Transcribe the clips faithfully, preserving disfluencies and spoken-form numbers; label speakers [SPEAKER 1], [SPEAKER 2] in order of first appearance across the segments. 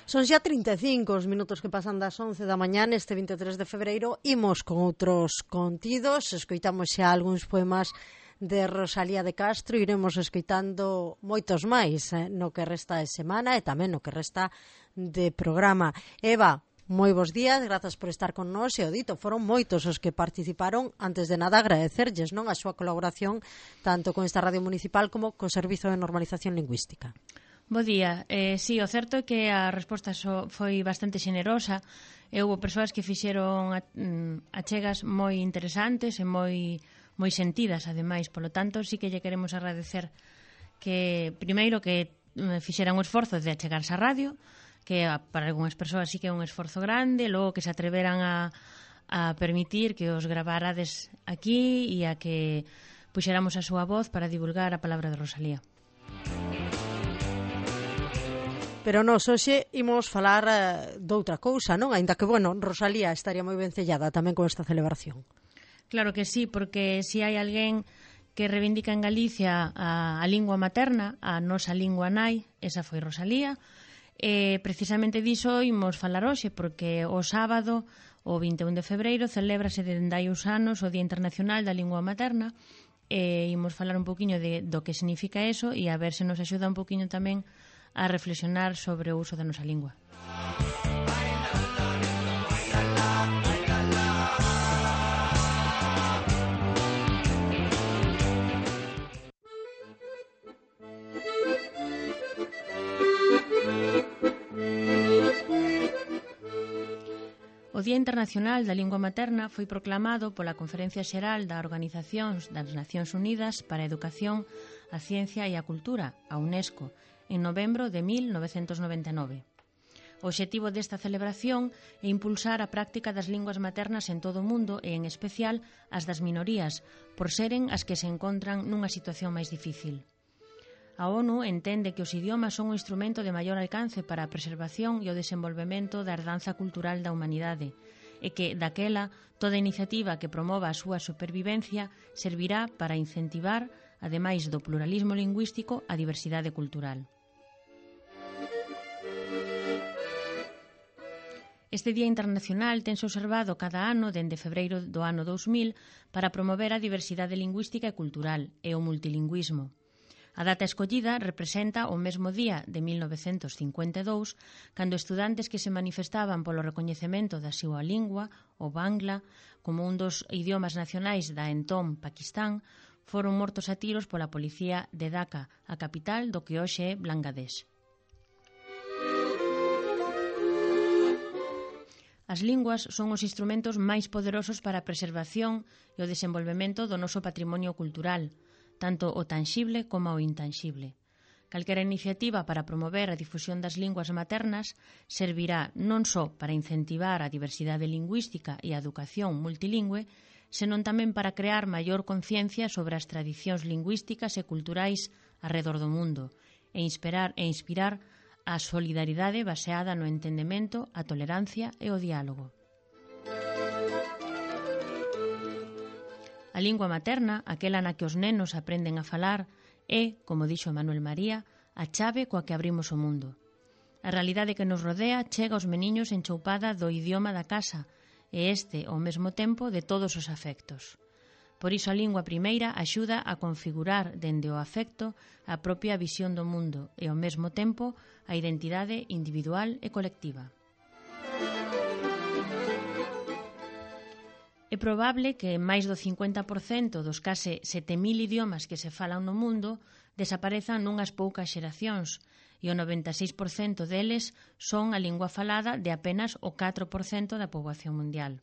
[SPEAKER 1] Son xa trinta e cinco os minutos que pasan das once da mañá neste vinte e tres de febreiro. Imos con outros contidos, escoitamos xa algúns poemas de Rosalía de Castro, iremos escoitando moitos máis eh, no que resta de semana e tamén no que resta de programa. Eva, moi bons días, grazas por estar con nós e o dito, foron moitos os que participaron. Antes de nada agradecerlles non a súa colaboración tanto con esta radio municipal como co Servizo de Normalización Lingüística.
[SPEAKER 2] Bo día. Eh, sí, o certo é que a resposta so, foi bastante xenerosa e houve persoas que fixeron a, mm, achegas moi interesantes e moi, moi sentidas, ademais. Polo tanto, sí que lle queremos agradecer que, primeiro, que fixeran o esforzo de achegarse á radio, que para algunhas persoas sí que é un esforzo grande, logo que se atreveran a, a permitir que os gravarades aquí e a que puxéramos a súa voz para divulgar a palabra de Rosalía.
[SPEAKER 1] Pero nós hoxe imos falar uh, doutra cousa, non? Ainda que, bueno, Rosalía estaría moi vencellada tamén con esta celebración.
[SPEAKER 2] Claro que sí, porque se si hai alguén que reivindica en Galicia a, a lingua materna, a nosa lingua nai, esa foi Rosalía. E precisamente diso imos falar hoxe, porque o sábado, o vinte e un de febreiro, celébrase dende hai uns anos o Día Internacional da Lingua Materna, e imos falar un poquinho de, do que significa eso e a ver se nos axuda un poquinho tamén a reflexionar sobre o uso da nosa lingua. O Día Internacional da Lingua Materna foi proclamado pola Conferencia Xeral da Organización das Nacións Unidas para a Educación, a Ciencia e a Cultura, a UNESCO, en novembro de mil novecentos noventa e nove. O obxectivo desta celebración é impulsar a práctica das linguas maternas en todo o mundo e, en especial, as das minorías, por seren as que se encontran nunha situación máis difícil. A ONU entende que os idiomas son un instrumento de maior alcance para a preservación e o desenvolvemento da herdanza cultural da humanidade e que, daquela, toda iniciativa que promova a súa supervivencia servirá para incentivar, ademais do pluralismo lingüístico, a diversidade cultural. Este Día Internacional tense observado cada ano dende febreiro do ano dous mil para promover a diversidade lingüística e cultural e o multilingüismo. A data escollida representa o mesmo día de mil novecentos cincuenta e dous, cando estudantes que se manifestaban polo recoñecemento da súa lingua, o bangla, como un dos idiomas nacionais da entón Paquistán, foron mortos a tiros pola policía de Dhaka, a capital do que hoxe é Bangladesh. As linguas son os instrumentos máis poderosos para a preservación e o desenvolvemento do noso patrimonio cultural, tanto o tanxible como o intanxible. Calquera iniciativa para promover a difusión das linguas maternas servirá non só para incentivar a diversidade lingüística e a educación multilingüe, senón tamén para crear maior conciencia sobre as tradicións lingüísticas e culturais arredor do mundo e inspirar, e inspirar a solidaridade baseada no entendemento, a tolerancia e o diálogo. A lingua materna, aquela na que os nenos aprenden a falar, é, como dixo Manuel María, a chave coa que abrimos o mundo. A realidade que nos rodea chega aos meniños enchoupada do idioma da casa e este, ao mesmo tempo, de todos os afectos. Por iso a lingua primeira axuda a configurar dende o afecto a propia visión do mundo e, ao mesmo tempo, a identidade individual e colectiva. É probable que máis do cincuenta por cento dos case sete mil idiomas que se falan no mundo desaparezan nunhas poucas xeracións e o noventa e seis por cento deles son a lingua falada de apenas o catro por cento da poboación mundial.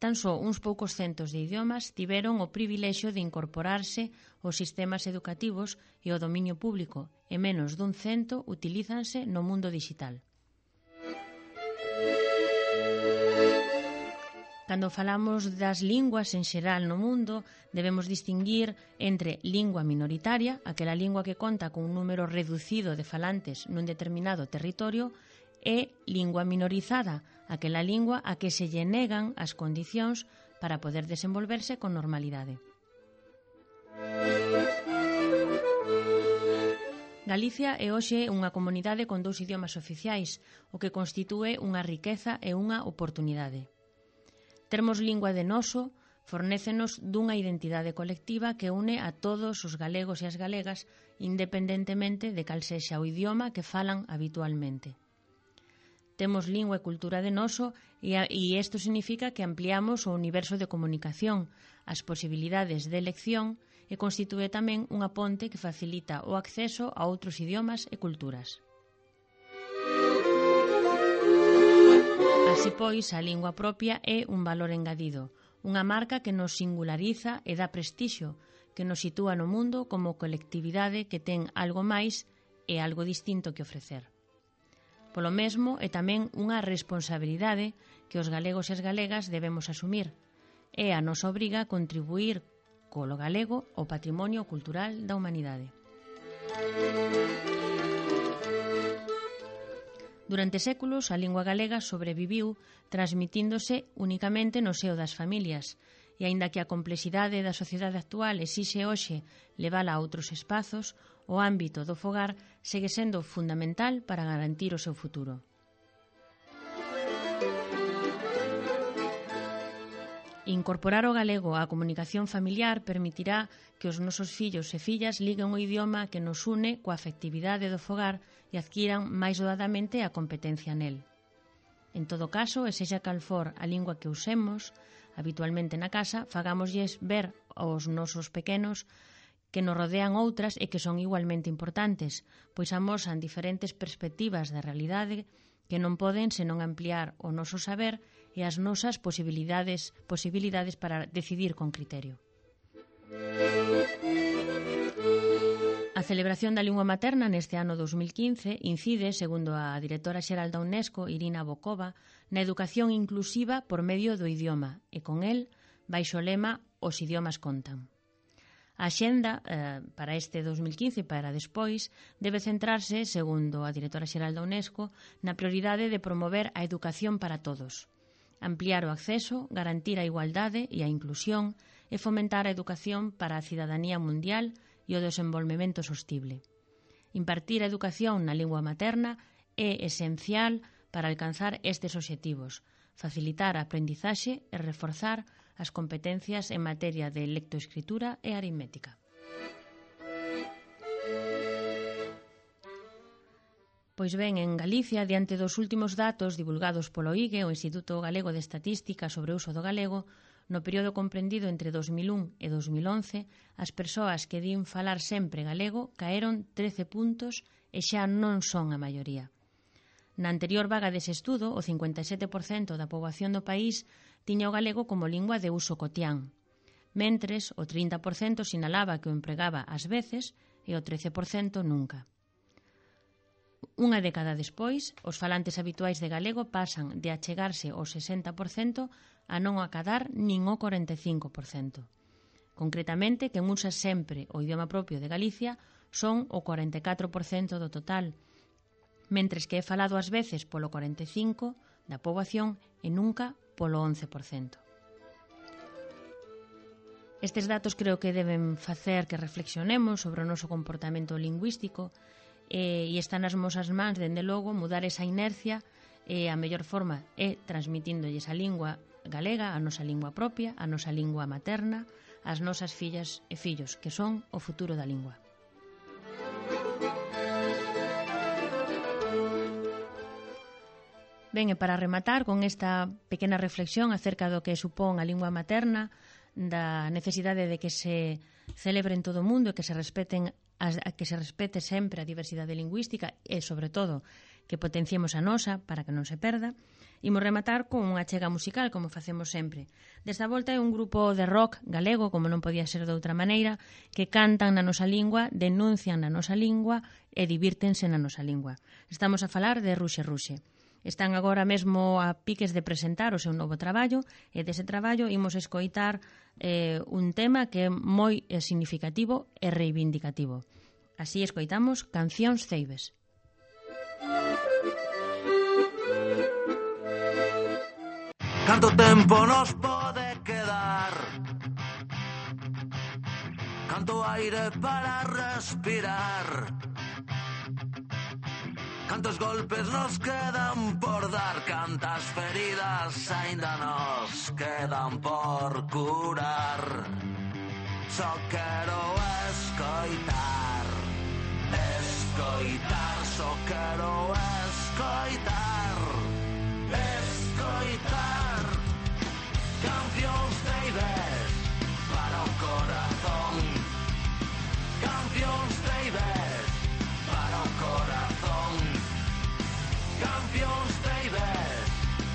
[SPEAKER 2] Tan só uns poucos centos de idiomas tiveron o privilexio de incorporarse aos sistemas educativos e ao dominio público e menos dun cento utilízanse no mundo digital. Cando falamos das linguas en xeral no mundo, debemos distinguir entre lingua minoritaria, aquela lingua que conta con un número reducido de falantes nun determinado territorio, e lingua minorizada, aquela lingua a que se lle negan as condicións para poder desenvolverse con normalidade. Galicia é hoxe unha comunidade con dous idiomas oficiais, o que constitúe unha riqueza e unha oportunidade. Termos lingua de noso fornécenos dunha identidade colectiva que une a todos os galegos e as galegas independentemente de cal sexa o idioma que falan habitualmente. Temos lingua e cultura de noso e, a, e isto significa que ampliamos o universo de comunicación, as posibilidades de elección e constitúe tamén unha ponte que facilita o acceso a outros idiomas e culturas. Así pois, a lingua propia é un valor engadido, unha marca que nos singulariza e dá prestixio, que nos sitúa no mundo como colectividade que ten algo máis e algo distinto que ofrecer. Polo mesmo, é tamén unha responsabilidade que os galegos e as galegas debemos asumir. É a nosa obriga contribuir colo galego ao patrimonio cultural da humanidade. Durante séculos, a lingua galega sobreviviu transmitíndose únicamente no seo das familias, e aínda que a complexidade da sociedade actual exixe hoxe levala a outros espazos, o ámbito do fogar segue sendo fundamental para garantir o seu futuro. Incorporar o galego á comunicación familiar permitirá que os nosos fillos e fillas liguen o idioma que nos une coa afectividade do fogar e adquiran máis doadamente a competencia nel. En todo caso, e sexa cal for a lingua que usemos habitualmente na casa, fagámoslles ver aos nosos pequenos que nos rodean outras e que son igualmente importantes, pois amosan diferentes perspectivas da realidade que non poden senón ampliar o noso saber e as nosas posibilidades, posibilidades para decidir con criterio. A celebración da lingua materna neste ano dos mil quince incide, segundo a directora xeral da UNESCO, Irina Bokova, na educación inclusiva por medio do idioma e con el, baixo o lema Os idiomas contan. A axenda eh, para este dos mil quince e para despois debe centrarse, segundo a directora xeral da UNESCO, na prioridade de promover a educación para todos, ampliar o acceso, garantir a igualdade e a inclusión e fomentar a educación para a cidadanía mundial e o desenvolvemento sostible. Impartir a educación na lingua materna é esencial para alcanzar estes obxectivos, facilitar a aprendizaxe e reforzar as competencias en materia de lectoescritura e aritmética. Pois ben, en Galicia, diante dos últimos datos divulgados polo I G E, o Instituto Galego de Estatística sobre o uso do galego, no período comprendido entre dos mil un e dos mil once, as persoas que din falar sempre galego caeron trece puntos e xa non son a maioría. Na anterior vaga dese estudo, o cincuenta e sete por cento da poboación do país tiña o galego como lingua de uso cotián, mentres o trinta por cento sinalaba que o empregaba ás veces e o trece por cento nunca. Unha década despois, os falantes habituais de galego pasan de achegarse ao sesenta por cento a non acadar nin o corenta e cinco por cento. Concretamente, quen usa sempre o idioma propio de Galicia son o corenta e catro por cento do total, mentres que é falado ás veces polo corenta e cinco por cento da poboación e nunca polo once por cento. Estes datos creo que deben facer que reflexionemos sobre o noso comportamento lingüístico e, e está nas nosas mans, dende logo, mudar esa inercia e a mellor forma é transmitiндolles a lingua galega, a nosa lingua propia, a nosa lingua materna, as nosas fillas e fillos, que son o futuro da lingua. Ben, e para rematar con esta pequena reflexión acerca do que supón a lingua materna, da necesidade de que se celebre en todo o mundo e que se respeten as, que se respete sempre a diversidade lingüística e, sobre todo, que potenciemos a nosa para que non se perda, imos rematar con unha chega musical, como facemos sempre. Desta volta é un grupo de rock galego, como non podía ser de outra maneira, que cantan na nosa lingua, denuncian na nosa lingua e divírtense na nosa lingua. Estamos a falar de Ruxe Ruxe. Están agora mesmo a piques de presentar o seu novo traballo e dese traballo imos escoitar eh, un tema que é moi significativo e reivindicativo. Así escoitamos Cancións Ceibes.
[SPEAKER 3] Canto tempo nos pode quedar, canto aire para respirar, Cantos golpes nos quedan por dar, cantas feridas aínda nos quedan por curar. Só quero escoitar, escoitar, só quero escoitar, escoitar. Cancións treibes para o corazón, cancións treibes para o corazón, cancións treibes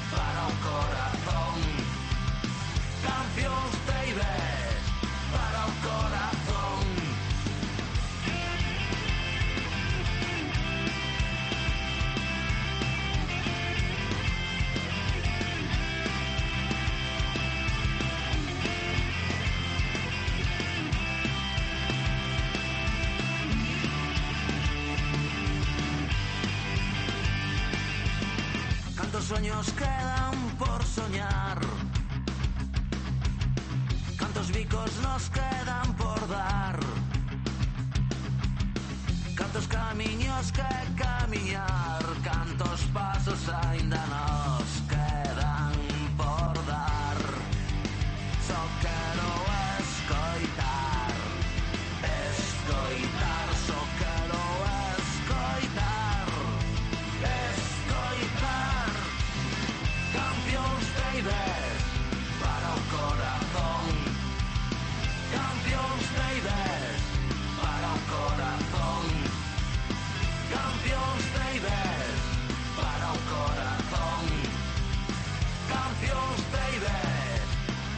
[SPEAKER 3] para o corazón, cancións treibes para o corazón. Cantos sueños quedan por soñar, cantos bicos nos quedan por dar, cantos camiños que camiñar, cantos pasos aínda nos quedan por dar. Só quero escoitar, escoitar, só quero escoitar, escoitar. Cancións treibes para o corazón, cancións treibes para o corazón, cancións treibes para o corazón, cancións treibes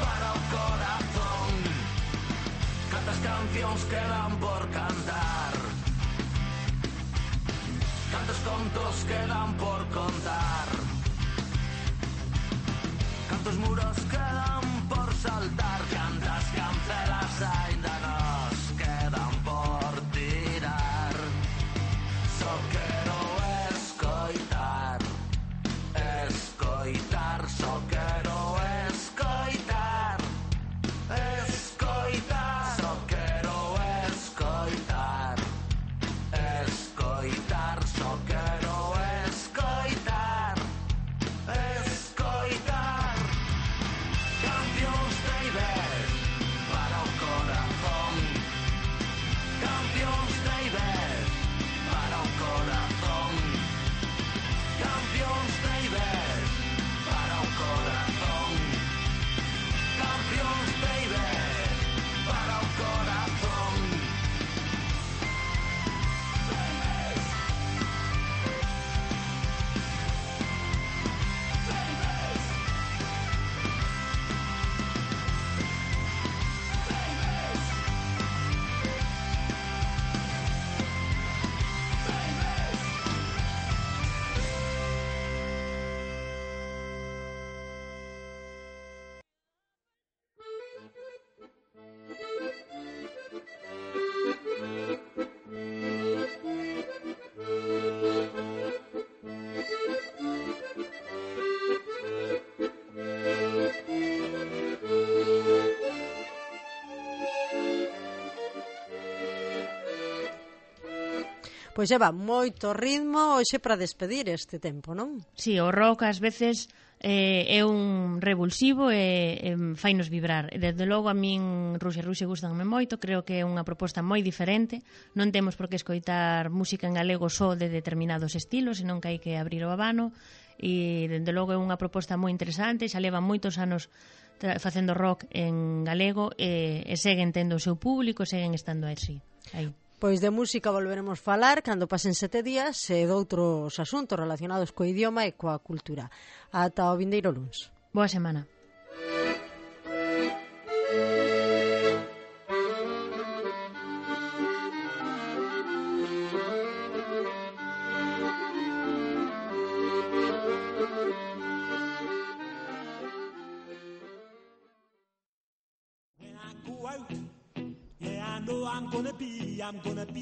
[SPEAKER 3] para o corazón. Cantas cancións quedan por cantar, cantos contos quedan por contar, cantos muros quedan por saltar, cantas cancelas aínda nos quedan por tirar. Só quero escoitar, escoitar, só quero escoitar, escoitar, só quero escoitar, escoitar, só quero escoitar, escoitar. Cancións treibes para o corazón, cancións treibes para o corazón, cancións treibes para o corazón, cancións treibes para o corazón.
[SPEAKER 1] Pois leva moito ritmo hoxe para despedir este tempo, non?
[SPEAKER 2] Si, o rock ás veces eh, é un revulsivo e eh, fainos vibrar. Desde logo a min Ruxe Ruxe gustanme moito, creo que é unha proposta moi diferente. Non temos por que escoitar música en galego só de determinados estilos, senón que hai que abrir o abano, e desde logo é unha proposta moi interesante, xa leva moitos anos facendo rock en galego e, e seguen tendo o seu público, seguen estando así, aí.
[SPEAKER 1] Pois de música volveremos falar cando pasen sete días e doutros asuntos relacionados co idioma e coa cultura. Ata o vindeiro luns.
[SPEAKER 2] Boa semana.
[SPEAKER 4] I'm gonna be, I'm gonna be